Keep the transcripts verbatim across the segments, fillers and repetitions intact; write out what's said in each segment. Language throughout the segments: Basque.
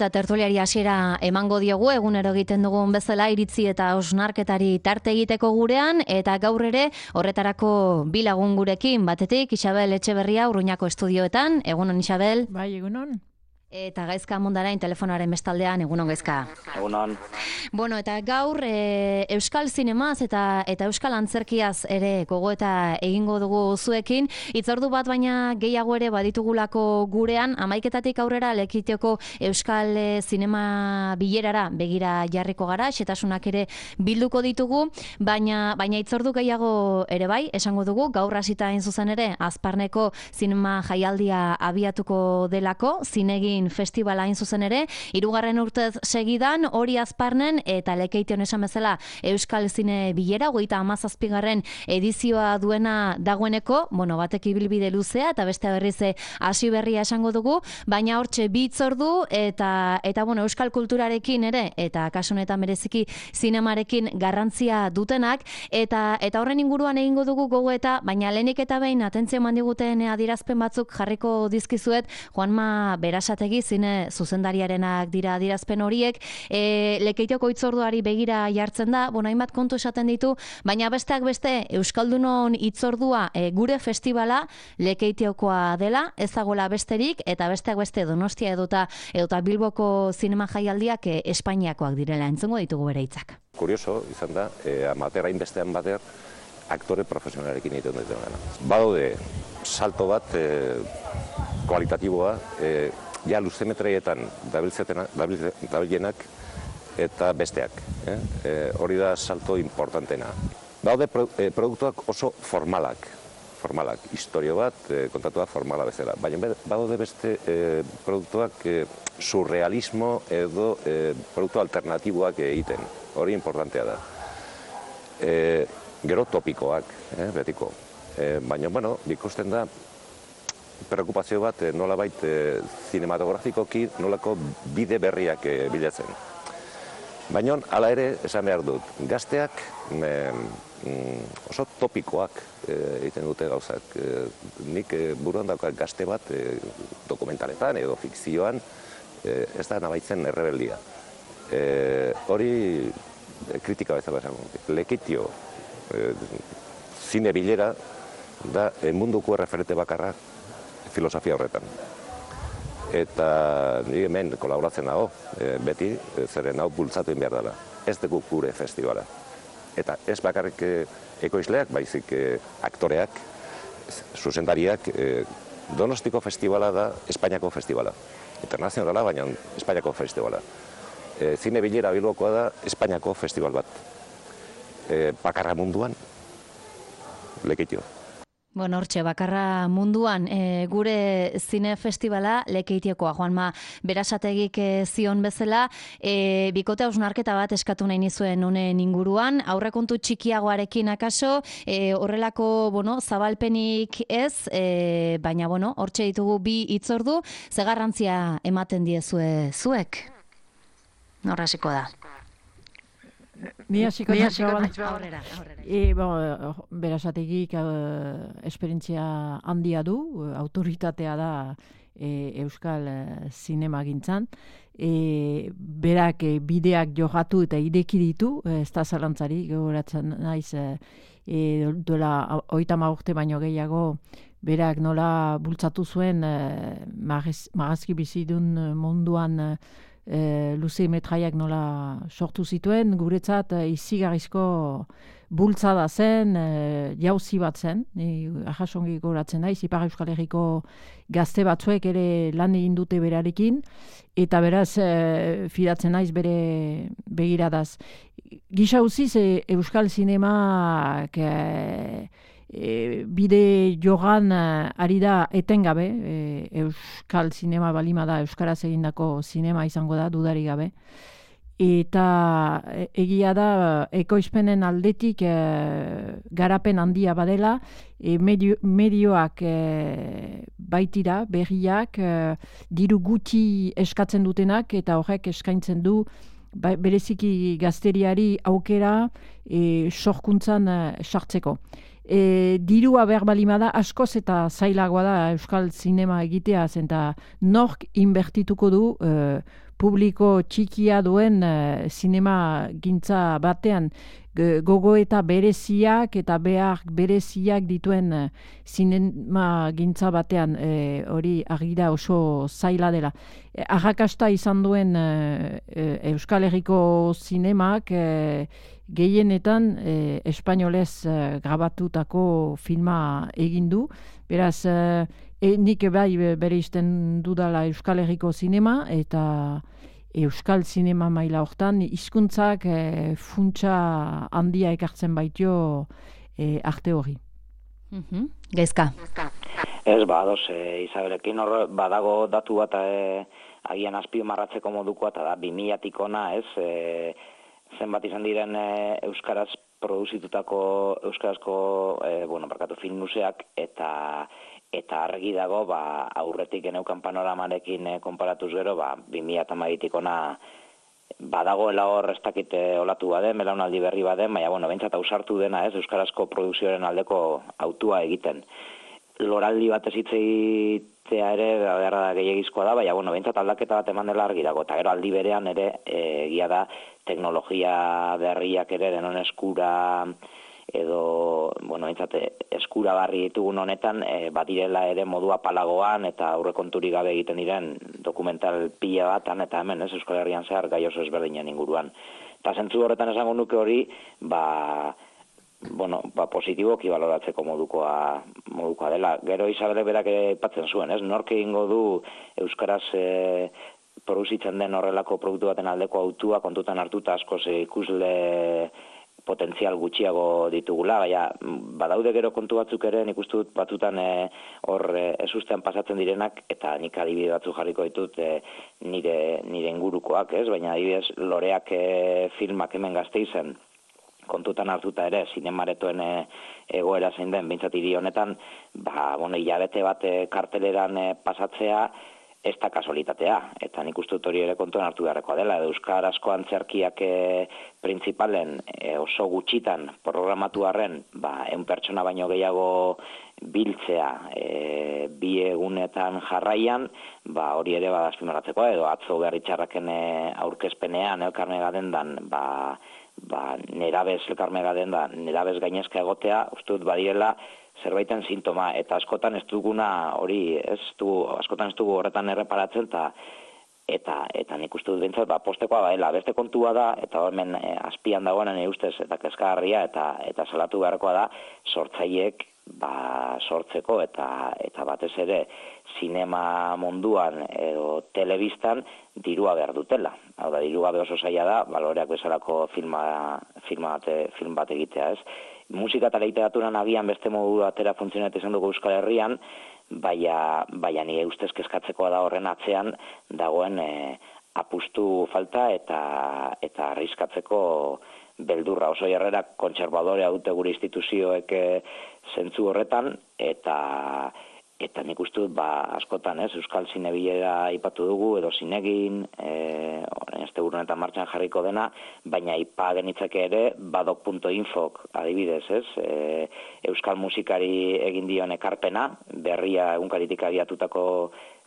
Eta tertuliari hasiera emango diogu, egunero egiten dugun bezala iritzi eta hausnarketari tarte egiteko gurean, eta gaur ere horretarako bi lagun gurekin, batetik Isabel Etxeberria Urruñako estudioetan. Egunon, Isabel. Bai, egunon. Eta Gaizka Mundarain telefonoaren bestaldean. Egunon, Gaizka. Egunon. Bueno, eta gaur e, Euskal Zinemaz eta eta Euskal Antzerkiaz ere gogoeta egingo dugu zuekin. Hitzordu bat baina gehiago ere baditugulako gurean, hamaiketatik aurrera Lekitioko Euskal e, Zinema bilerara begira jarriko gara, xetasunak ere bilduko ditugu, baina baina hitzordu gehiago ere bai, esango dugu, gaur hasita hain zuzen ere Azparneko zinema jaialdia abiatuko delako, zinegin festivala hain zuzen ere, hirugarren urtez segidan, hori Azparnen eta Lekeition esan bezala Euskal Zine bilera, hogeita hamazazpigarren edizioa duena dagoeneko, bueno, batek ibilbide luzea eta beste berriz hasi berria esango dugu, baina hortxe bi hitzordu eta eta bueno, euskal kulturarekin ere eta kasu honetan bereziki zinemarekin garrantzia dutenak eta eta horren inguruan egingo dugu gogoeta, baina lehenik eta behin atentzio eman diguten adierazpen batzuk jarriko dizkizuet. Juanma Berasategi zine zuzendariarenak dira adierazpen horiek, e, Lekeitioko hitzorduari begira jartzen da, bueno, hainbat kontu esaten ditu, baina besteak beste Euskaldunon hitzordua e, gure festivala Lekeitiokoa dela, ez dagoela besterik, eta besteak beste Donostia edota edota Bilboko zinema jaialdiak e, Espainiakoak direla, entzungo ditugu bere hitzak. Kurioso izan da, e, amater hainbestean bater aktore profesionalekin egiten duten gana. Badaude salto bat e, kualitatiboa, e, ja luzemetreietan dabilenak eta besteak. Eh? E, hori da salto importantena. Daude pro, e, produktuak oso formalak, formalak, historio bat, e, kontatua formala bezala. Baina badaude beste e, produktuak e, surrealismo edo e, produktu alternatiboak egiten. Hori importantea da. E, gero topikoak, eh, betiko. E, baina, bueno, ikusten da, preokupazio bat nolabait e, zinematografikoki nolako bide berriak e, bilatzen. Baina, hala ere, esan behar dut, gazteak e, oso topikoak e, egiten dute gauzak. E, nik e, buruan daukat gazte bat e, dokumentaletan edo fikzioan e, ez da nabaitzen errebeldia. E, hori e, kritika bezala esango. Lekitio e, zine bilera da e, munduko referente bakarra filosofia horretan. Eta nire hemen kolaboratzen dago, e, beti, e, zeren hau bultzatu behar dela. Ez dugu gure festivala. Eta ez bakarrik e, ekoizleak, baizik e, aktoreak, zuzendariak, e, Donostiko festivala da Espainiako festivala. Internazionala, baina Espainiako festivala. E, zine bilera Bilbokoa da Espainiako festival bat. E, bakarra munduan, Lekeitio. Bueno, hortxe, bakarra munduan e, gure zine festivala Lekeitiokoa. Juanma Berasategik e, zion bezala, e, bikote hausnarketa bat eskatu nahi nizuen honen inguruan, aurrekontu txikiagoarekin akaso, e, horrelako, bueno, zabalpenik ez, e, baina, bueno, hortxe ditugu bi hitzordu, ze garrantzia ematen diezue zuek? Norra hasiko da. Ni hasiko Ni da aurrera, aurrera. E, bon, Berasategik uh, esperientzia handia du, uh, autoritatea da e, Euskal uh, zinemagintzan. E, berak e, bideak johatu eta ideki ditu, ez da zalantzari, gogoratzen naiz, e, duela hogeita hamar urte baino gehiago, berak nola bultzatu zuen e, magazki bizidun munduan e, E, luze metraiak nola sortu zituen, guretzat e, izigarrizko bultzada zen, e, jauzi bat zen, ni ahasongi goratzen naiz, Ipar Euskal Herriko gazte batzuek ere lan egin dute berarekin, eta beraz e, fidatzen naiz bere begiradaz. Gisa uziz e, Euskal Zinemak e, E, bide jogan ari da etengabe, e, Euskal Zinema balima da, Euskaraz egindako zinema izango da, dudari gabe. Eta e, egia da, ekoizpenen aldetik e, garapen handia badela, e, medio, medioak e, baitira, berriak, e, diru gutxi eskatzen dutenak, eta horrek eskaintzen du, ba, bereziki gazteriari aukera e, sorkuntzan e, sartzeko. E, dirua behar balimada askoz eta zailagoa da Euskal Zinema egitea, zenta nork inbertituko du e, publiko txikia duen e, zinema gintza batean gogo eta bereziak eta behar bereziak dituen e, zinema gintza batean e, hori agira oso zaila dela. E, arrakasta izan duen e, e, Euskal Herriko zinemak e, gehienetan e, espainolez e, grabatutako filma egin du. Beraz, e, e, nik bai bere izten dudala Euskal Herriko zinema eta Euskal zinema maila hortan hizkuntzak e, funtsa handia ekartzen baitio e, arte hori. Mm-hmm. Gaizka. Ez, ba, ados, e, Isabelekin hor badago datu bat e, agian azpimarratzeko modukoa, eta da, bi milatik ona, ez, e, zenbat izan diren e, euskaraz produzitutako euskarazko e, bueno, barkatu film museak, eta eta argi dago, ba, aurretik geneukan panoramarekin e, konparatuz gero, ba, bi mila hamabitik ona badagoela hor ez dakit olatu baden, belaunaldi berri baden, baina, bueno, behintzat ausartu dena, ez, euskarazko produkzioaren aldeko autua egiten. Loraldi bat ez hitz egitea ere, beharra da gehiagizkoa da, baina, bueno, behintzat aldaketa bat eman dela argi dago, eta gero aldi berean ere, egia da, teknologia berriak ere denon eskura, edo, bueno, entzate, eskuragarri ditugun honetan, e, badirela ere modua palagoan eta aurrekonturik gabe egiten diren dokumental pila batan, eta hemen, ez, Euskal Herrian zehar gai oso ezberdinen inguruan. Eta zentzu horretan esango nuke hori, ba, bueno, ba, positiboki baloratzeko modukoa, modukoa dela. Gero Isabelek berak aipatzen zuen, ez, nork egingo du Euskaraz e, produzitzen den horrelako produktu baten aldeko autua kontutan hartuta askoz ikusle potentzial gutxiago ditugula, baina badaude gero kontu batzuk ere, nik uste dut batzutan hor e, ezustean pasatzen direnak, eta nik adibide batzuk jarriko ditut e, nire, nire ingurukoak, ez? Baina adibidez loreak e, filmak hemen Gasteizen, kontutan hartuta ere, zinemaretoen e, egoera zein den, behintzat hiri honetan, ba, bueno, hilabete bat e, karteleran e, pasatzea, ez da kasualitatea, eta nik uste dut hori ere kontuan hartu beharrekoa dela, edo euskarazko antzerkiak e, printzipalen e, oso gutxitan programatu arren, ba, eun pertsona baino gehiago biltzea e, bi egunetan jarraian, ba, hori ere bada azpimarratzekoa, edo atzo Berritxarraken e, aurkezpenean elkarmega dendan, ba, ba, nerabez elkarmega dendan, nerabez gainezka egotea, uste dut badirela, zerbaiten sintoma, eta askotan ez duguna hori, ez du, askotan ez dugu horretan erreparatzen, eta eta eta nik uste dut bintzat, ba, postekoa baela, beste kontua da, eta hemen e, azpian dagoen nire ustez, eta kezkagarria, eta eta salatu beharkoa da, sortzaileek ba, sortzeko, eta eta batez ere, zinema munduan edo telebistan dirua behar dutela. Hau da, diru gabe oso zaila da, baloreak bezalako filma, filma bate, film bat egitea, ez? Musika eta literaturan agian beste modu batera funtzionatzen izan dugu Euskal Herrian, baina, baina nire ustez kezkatzekoa da horren atzean dagoen e, apustu falta eta eta arriskatzeko beldurra. Oso jarrera kontserbadorea dute gure instituzioek e, zentzu horretan, eta eta nik uste dut, ba, askotan, ez, Euskal Zinebilera aipatu dugu, edo zinegin, e, este honetan martxan jarriko dena, baina aipa genitzake ere, badok punto infok adibidez, ez, e, Euskal musikari egin dion ekarpena, berria egunkaritik abiatutako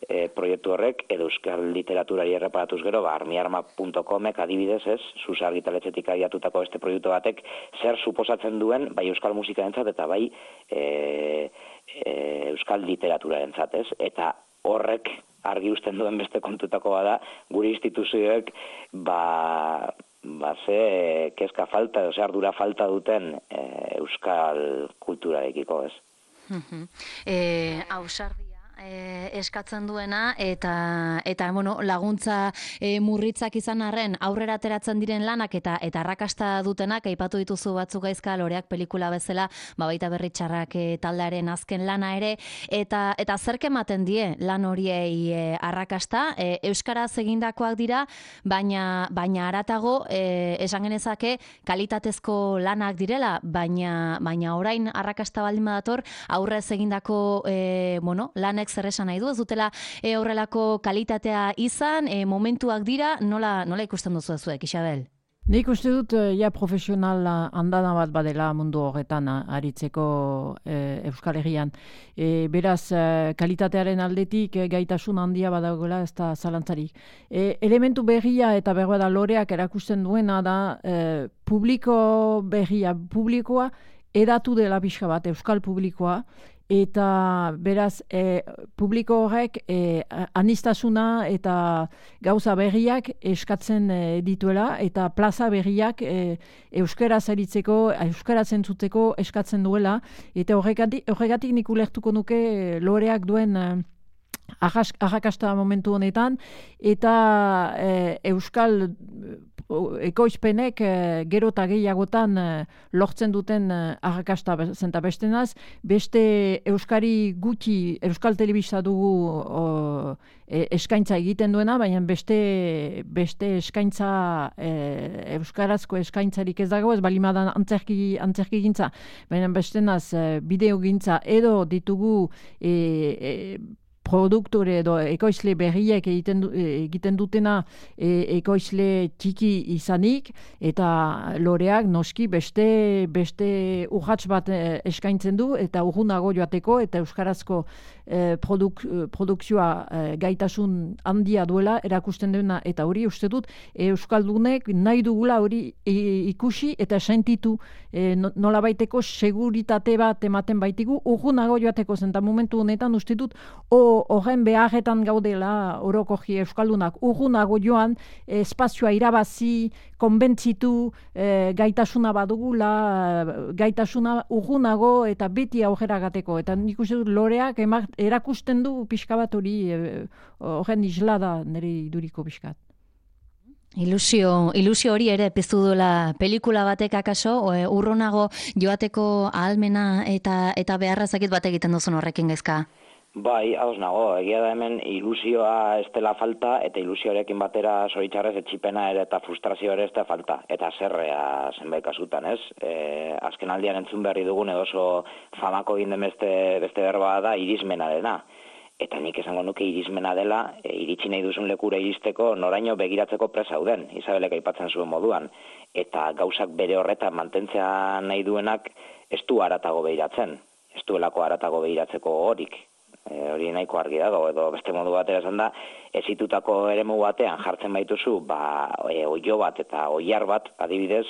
e, proiektu horrek, edo Euskal literaturari erreparatuz gero, ba, armiarma punto comek adibidez, ez, Zuz argitaletxetik abiatutako beste proiektu batek, zer suposatzen duen, bai Euskal musikarentzat eta bai e, e, Euskal literaturarentzat, ez, eta horrek argi uzten duen beste kontutakoa da, gure instituzioek, ba, ba ze kezka falta, edo ze ardura falta duten e, Euskal kulturarekiko, ez. eh, ausardia E, eskatzen duena eta eta bueno, laguntza e, murritzak izan arren aurrera ateratzen diren lanak eta eta arrakasta dutenak aipatu dituzu batzuk Gaizka, loreak pelikula bezala, ba baita Berritxarrak e, taldearen azken lana ere, eta eta zerk ematen die lan horiei e, arrakasta, e, euskaraz egindakoak dira, baina baina haratago e, esan genezake kalitatezko lanak direla, baina baina orain arrakasta baldin badator aurrez egindako e, bueno, lanek zer esan nahi du, ez dutela e, horrelako kalitatea izan, e, momentuak dira, nola, nola ikusten duzu zuek, Isabel? Nik uste dut, ja, profesional handana bat badela mundu horretan aritzeko e, Euskal Herrian. E, beraz, kalitatearen aldetik e, gaitasun handia badagoela ez da zalantzarik. E, elementu berria eta berbada loreak erakusten duena da e, publiko berria, publikoa edatu dela pixka bat, Euskal publikoa, eta beraz e, publiko horrek e, anistasuna eta gauza berriak eskatzen e, dituela eta plaza berriak e, euskaraz aritzeko, euskaraz entzuteko eskatzen duela eta horregatik, horregatik nik ulertuko nuke e, loreak duen e, arrakasta momentu honetan eta e, euskal ekoizpenek e, gero eta gehiagotan e, lortzen duten e, arrakasta zenta bestenaz, beste euskari gutxi euskal telebista dugu o, e, eskaintza egiten duena, baina beste, beste eskaintza e, euskarazko eskaintzarik ez dago, ez balimadan antzerki, antzerki gintza, baina bestenaz e, bideo gintza edo ditugu e, e, produktore edo ekoizle berriek egiten, du, egiten dutena e, ekoizle txiki izanik eta loreak noski beste beste urrats bat eskaintzen du eta urrunago joateko eta euskarazko e, produk, produkzioa e, gaitasun handia duela erakusten duena eta hori uste dut euskaldunek nahi dugula hori e, ikusi eta sentitu e, nolabaiteko seguritate bat ematen baitigu urrunago joateko zen eta momentu honetan uste dut o horren beharretan gaudela orokoki euskaldunak urrunago joan, espazioa irabazi, konbentzitu, e, gaitasuna badugula, gaitasuna urrunago eta beti aurrera gateko. Eta nik uste dut loreak emak, erakusten du pixka bat hori horren e, isla da nire iduriko pixkat. Ilusio, ilusio hori ere piztu duela pelikula batek akaso, e, urrunago joateko ahalmena eta, eta beharra zakit bat egiten duzun horrekin gaizka? Bai, hauz nago, egia da hemen ilusioa ez dela falta, eta ilusioarekin batera zoritxarrez etxipena ere eta frustrazio ere ez da falta, eta zerrea zenbait kasutan, ez? E, azken aldian entzun berri dugun edo oso famako egin den beste, beste berba da irismena dena. Eta nik esango nuke irismena dela, e, iritsi nahi duzun lekura iristeko noraino begiratzeko presauden, Isabelek aipatzen zuen moduan. Eta gauzak bere horretan mantentzea nahi duenak ez du haratago behiratzen, ez duelako haratago behiratzeko horik. E, hori nahiko argi dago, edo beste modu batera esan da, ezitutako eremu batean jartzen baituzu, ba, e, oio bat eta oiar bat, adibidez,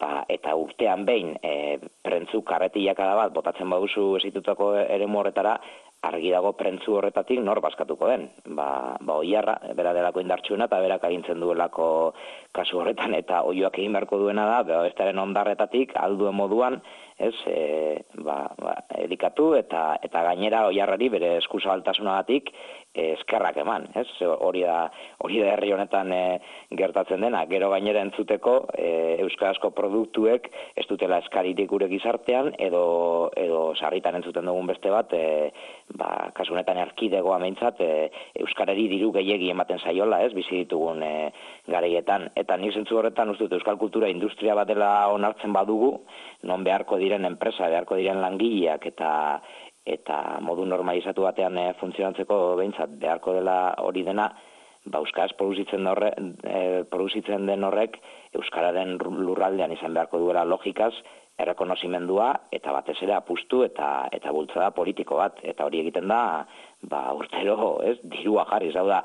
ba, eta urtean behin e, prentzu karretilakada bat botatzen baduzu ezitutako eremu horretara, argi dago prentzu horretatik nor baskatuko den. Ba, ba oiarra, bera delako indartsuena eta berak agintzen duelako kasu horretan, eta oioak egin beharko duena da, bera bestaren ondarretatik, alduen moduan, ez, e, ba, ba, edikatu eta eta gainera oiarrari bere eskuzabaltasunagatik e, eskerrak eman, ez? Hori da, hori da herri honetan e, gertatzen dena. Gero gainera entzuteko e, euskarazko produktuek ez dutela eskaririk gure gizartean edo edo sarritan entzuten dugun beste bat, e, ba, kasu honetan erkidegoa meintzat e, euskarari diru gehiegi ematen zaiola, ez? Bizi ditugun e, garaietan. Eta nik zentzu horretan uste dut euskal kultura industria bat dela onartzen badugu, non beharko diren enpresa, beharko diren langileak eta eta modu normalizatu batean e, funtzionatzeko behintzat beharko dela hori dena, ba, euskaraz produzitzen, horre, e, produzitzen den horrek euskararen lurraldean izan beharko duela logikaz, errekonozimendua eta batez ere apustu eta eta bultzada politiko bat, eta hori egiten da ba, urtero, ez, dirua jarri, hau da,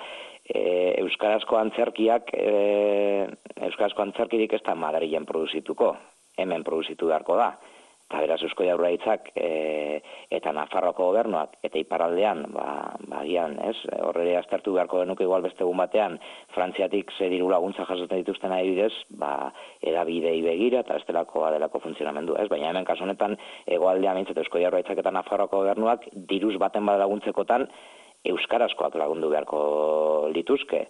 e, euskarazko antzerkiak e, euskarazko antzerkirik ez da Madrilen produzituko, hemen produzitu beharko da. Eta beraz Eusko Jaurlaritzak e, eta Nafarroako gobernuak eta iparraldean, ba, bagian, ez, horre aztertu beharko genuke igual beste egun batean, Frantziatik ze diru laguntza jasotzen dituzten adibidez, ba, edabidei begira eta estelako adelako funtzionamendu, ez, baina hemen kasu honetan hegoaldean mintzat Eusko Jaurlaritzak eta Nafarroako gobernuak diruz baten bada laguntzekotan euskarazkoak lagundu beharko lituzke.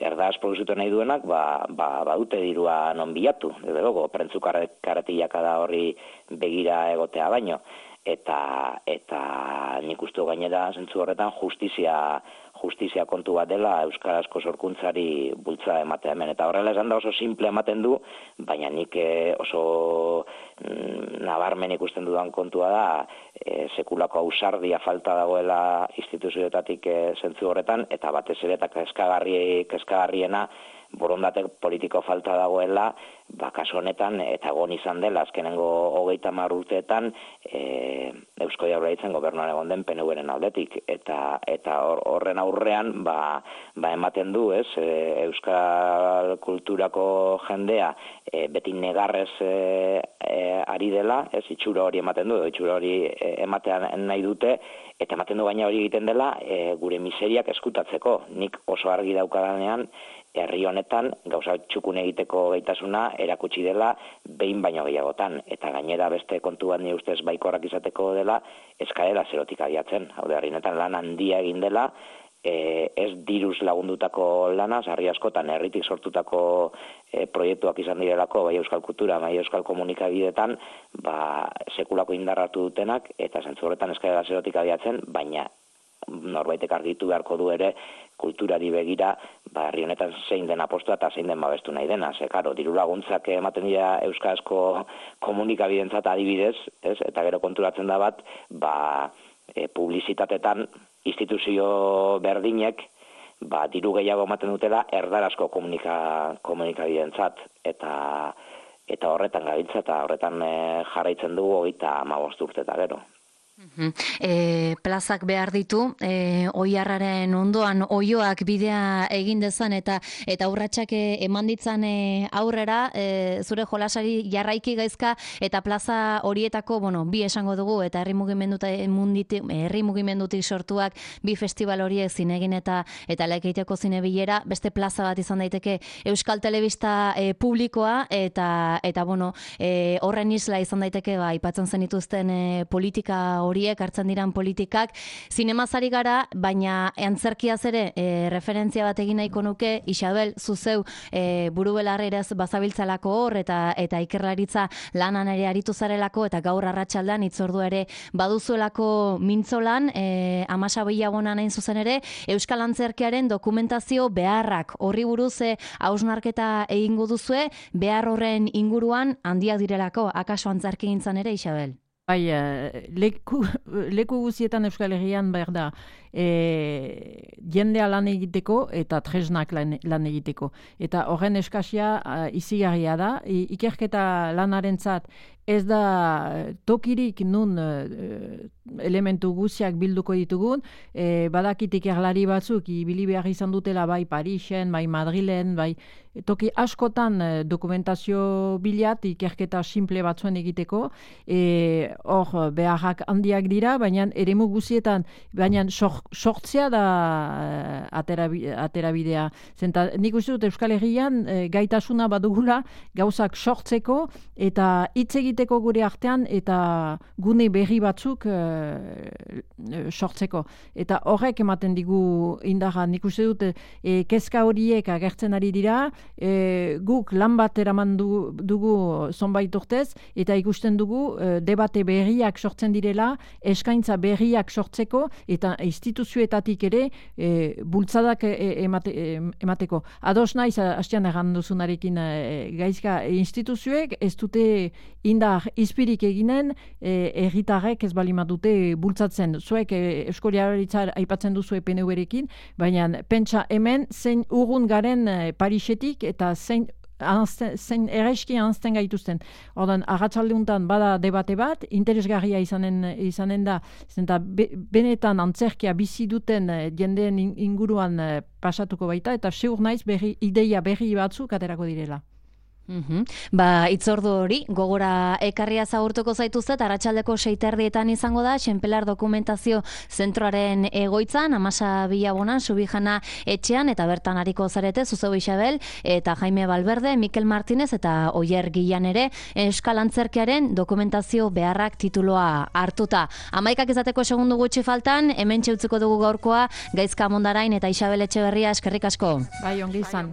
Erdaz produzitu nahi duenak, ba, ba, badute dirua non bilatu, edo logo, prentzu karretilaka da horri begira egotea baino. Eta, eta nik uste gainera zentzu horretan justizia, justizia kontu bat dela euskarazko sorkuntzari bultza ematea hemen. Eta horrela esan da oso simple ematen du, baina nik oso mm, nabarmen ikusten dudan kontua da e, sekulako ausardia falta dagoela instituzioetatik e, zentzu horretan, eta batez ere eta kezkagarri, kezkagarriena borondate politiko falta dagoela, ba, kasu honetan, eta egon izan dela, azkenengo hogeita hamar urteetan, e, Eusko Jaurlaritzan gobernuan egon den P N Uren aldetik, eta eta horren aurrean, ba, ba ematen du, ez, e, euskal kulturako jendea e, beti negarrez e, e, ari dela, ez, itxura hori ematen du, itxura hori e, ematean nahi dute, eta ematen du baina hori egiten dela e, gure miseriak eskutatzeko. Nik oso argi daukadanean, herri honetan gauza txukun egiteko gaitasuna erakutsi dela behin baino gehiagotan, eta gainera beste kontu bat ni ustez baikorrak izateko dela eskaera zerotik abiatzen. Hau da, herri honetan lan handia egin dela, e, ez diruz lagundutako lana, sarri askotan herritik sortutako e, proiektuak izan direlako, bai euskal kultura, bai euskal komunikabidetan, ba, sekulako indarratu dutenak, eta zentzu horretan eskaera zerotik abiatzen, baina norbaitek argitu beharko du ere kulturari begira, ba, herri honetan zein den apostua eta zein den babestu nahi dena. Ze, karo, diru laguntzak ematen dira euskarazko komunikabidentzat adibidez, ez? Eta gero konturatzen da bat, ba, e, publizitatetan instituzio berdinek, ba, diru gehiago ematen dutela erdarazko komunika, komunikabidentzat, eta eta horretan gabiltza eta horretan e, jarraitzen dugu hogeita hamabost urte eta gero. E, plazak behar ditu, e, oiarraren ondoan oioak bidea egin dezan eta eta urratsak eman ditzan e, aurrera, e, zure jolasari jarraiki gaizka eta plaza horietako, bueno, bi esango dugu eta herri mugimendutik, herri mugimendutik sortuak bi festival horiek zinegin eta eta Lekeitioko zinebilera, beste plaza bat izan daiteke Euskal Telebista e, publikoa eta eta bueno, e, horren isla izan daiteke ba aipatzen zenituzten e, politika horiek hartzen diran politikak, zinemazari gara, baina antzerkiaz ere e, referentzia bat egin nahiko nuke, Isabel, zuzeu e, buru belarrerez bazabiltzalako hor, eta eta ikerlaritza lanan ere aritu zarelako, eta gaur arratsaldean hitzordu ere baduzuelako mintzolan, e, Amasa Bilabonan hain zuzen ere, Euskal Antzerkiaren dokumentazio beharrak, horri buruz e, hausnarketa egingo duzue, behar horren inguruan handiak direlako, akaso antzerkigintzan ere, Isabel? Bai, leku, leku guzietan Euskal Herrian behar da e, jendea lan egiteko eta tresnak lan, lan egiteko. Eta horren eskasia uh, izigarria da. I, ikerketa lanarentzat ez da tokirik nun uh, elementu guztiak bilduko ditugun. E, badakit ikerlari batzuk ibili behar izan dutela bai Parisen, bai Madrilen, bai toki askotan dokumentazio bilat ikerketa simple batzuen egiteko. E, hor beharrak handiak dira, baina eremu guzietan, baina sortzea da aterabidea. Zenta, nik uste dut Euskal Herrian e, gaitasuna badugula gauzak sortzeko eta hitz egiteko gure artean eta gune berri batzuk e, sortzeko. Eta horrek ematen digu indarra. Nik uste dut e, kezka horiek agertzen ari dira, e, guk lan bat eraman du, dugu zonbait urtez eta ikusten dugu e, debate berriak sortzen direla, eskaintza berriak sortzeko eta instituzioetatik ere e, bultzadak e, emate, e, emateko. Ados naiz, hastian erran duzunarekin e, gaizka instituzioek ez dute indar izpirik eginen herritarrek ez balima dute bultzatzen. Zuek e, Eusko Jaurlaritza aipatzen duzu P N Urekin, baina pentsa hemen zein urrun garen e, Parisetik eta zein Anzten, zein ereski anzten gaituzten. Ordan, arratsaldeuntan bada debate bat, interesgarria izanen, izanen da, zenta be, benetan antzerkia bizi duten jendeen inguruan pasatuko baita, eta seur naiz berri, ideia berri batzuk aterako direla. Mm-hmm. Ba, itzordu hori, gogora ekarria zaurtuko zaituzet, arratsaldeko seiterdietan izango da, Xenpelar Dokumentazio Zentroaren egoitzan, Amasa Bilabonan, Subijana etxean, eta bertan hariko zarete, Zuzeu Isabel, eta Jaime Valverde, Mikel Martinez, eta Oier Gilan ere, Euskal Antzerkiaren dokumentazio beharrak tituloa hartuta. Amaikak izateko segundu gutxi faltan, hemen txeutziko dugu gaurkoa, Gaizka Mondarain eta Isabel Etxeberria, eskerrik asko. Bai, ongi izan.